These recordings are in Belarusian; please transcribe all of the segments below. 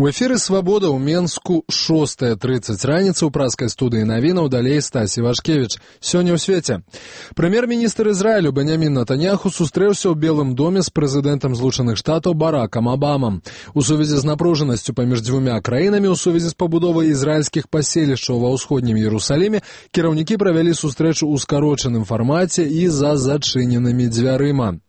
У эфіры «Свабода» ў Менску 6:30 раніцы ў праскай студыі навінаў, далей Стасі Вашкевіч. Сёння ў свеце. Прэм'ер-міністр Ізраілю Беньямін Нетаньяху сустрэўся ў Белым доме з прэзідэнтам Злучаных Штатаў Баракам Абамам. У сувязі з напружанасцю паміж дзвюмя краінамі, у сувязі з пабудовай ізраільскіх паселішчаў ва ўсходнім Іерусаліме, кіраўнікі правялі сустрэчу ў скарочаным фармаце і за зачыненымі дзвярыма.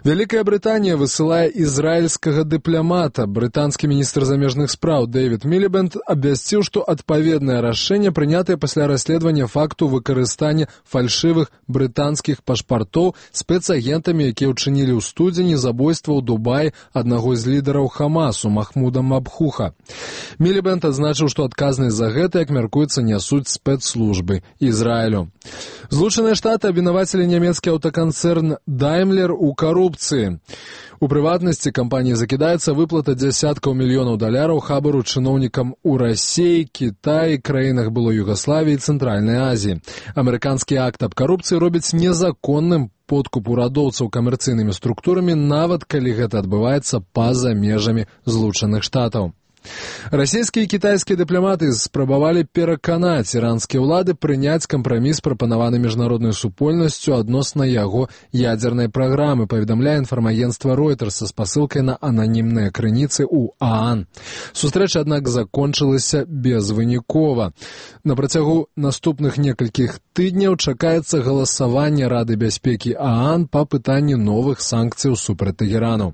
Вялікая Брытанія высылае ізраільскага дыпламата. Брытанскі міністр замежных спраў Дэвід Мілібэнд абвясціў, што адпаведнае рашэнне прынятае пасля расследавання факту выкарыстання фальшывых брытанскіх пашпартоў спецагентамі, якія ўчынілі ў студзені забойства ў Дубаі аднаго з лідараў Хамасу Махмуда Мабхуха. Мілібэнд адзначыў, што адказнасць за гэта, як мяркуецца, нясуць спецслужбы Ізраілю. Злучаныя Штаты абвінавацілі нямецкі аўтаканцэрн Daimler у карупцыі. У прыватнасці кампаніі закідаецца выплата дзясяткаў мільёнаў даляраў хабару чыноўнікам у Расіі, Кітаі, краінах былой Югаславіі і Цэнтральнай Азіі. Амерыканскі акт аб карупцыі робіць незаконным подкуп урадоўцаў камерцыйнымі структурамі, нават калі гэта адбываецца па-за межамі Злучаных Штатаў. Расійскія і кітайскія дыпламаты спрабавалі пераканаць іранскія ўлады прыняць кампраміс, прапанаваны міжнароднай супольнасцю адносна яго ядзернай праграмы, паведамляе інфармагенцтва Reuters са спасылкай на ананімныя крыніцы ў ААН. Сустрэча, аднак, закончылася безвынікова. На працягу наступных некалькіх тыдняў чакаецца галасаванне Рады бяспекі ААН па пытанні новых санкцыяў супраць Тэгэрану.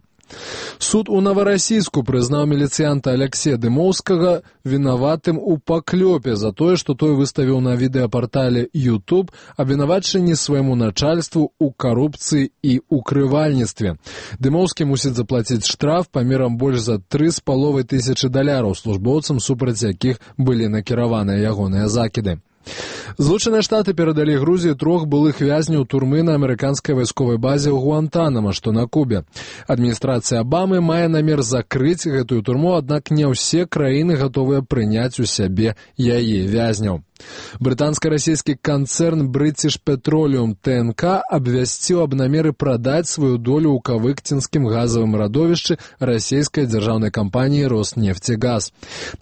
Суд у Новарасійску прызнаў міліцыянта Аляксея Дымоўскага вінаватым у паклёпе за тое, што той выставіў на відэапартале YouTube абвінавачанні свайму начальству ў карупцыі і укрывальніцтве. Дымоўскі мусіць заплаціць штраф памерам больш за 3,5 тысячы даляраў службоўцам, супраць якіх былі накіраваныя ягоныя закіды. Злучаныя Штаты перадалі Грузіі 3 былых вязняў турмы на амерыканскай вайсковай базе ў Гуантанама, што на Кубе. Адміністрацыя Абамы мае намер закрыць гэтую турму, аднак не ўсе краіны гатовыя прыняць у сябе яе вязняў. Брытанска-расійскі канцэрн British Petroleum ТНК абвясціў аб намеры прадаць сваю долю ў кавыкцінскім газавым радовішчы расійскай дзяржаўнай кампаніі «Роснефтегаз».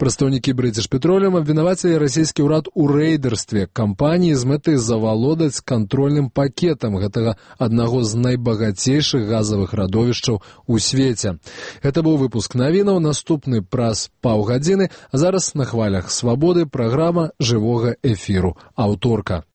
Прадстаўнікі British Petroleum абвінавацілі расійскі ўрад у рэйдэрстве кампаніі з мэтай завалодаць кантрольным пакетам гэтага аднаго з найбагацейшых газавых радовішчаў у свеце. Гэта быў выпуск навінаў, наступны праз паўгадзіны, а зараз на хвалях «Свабоды» праграма жывога эфіру «Аўторка».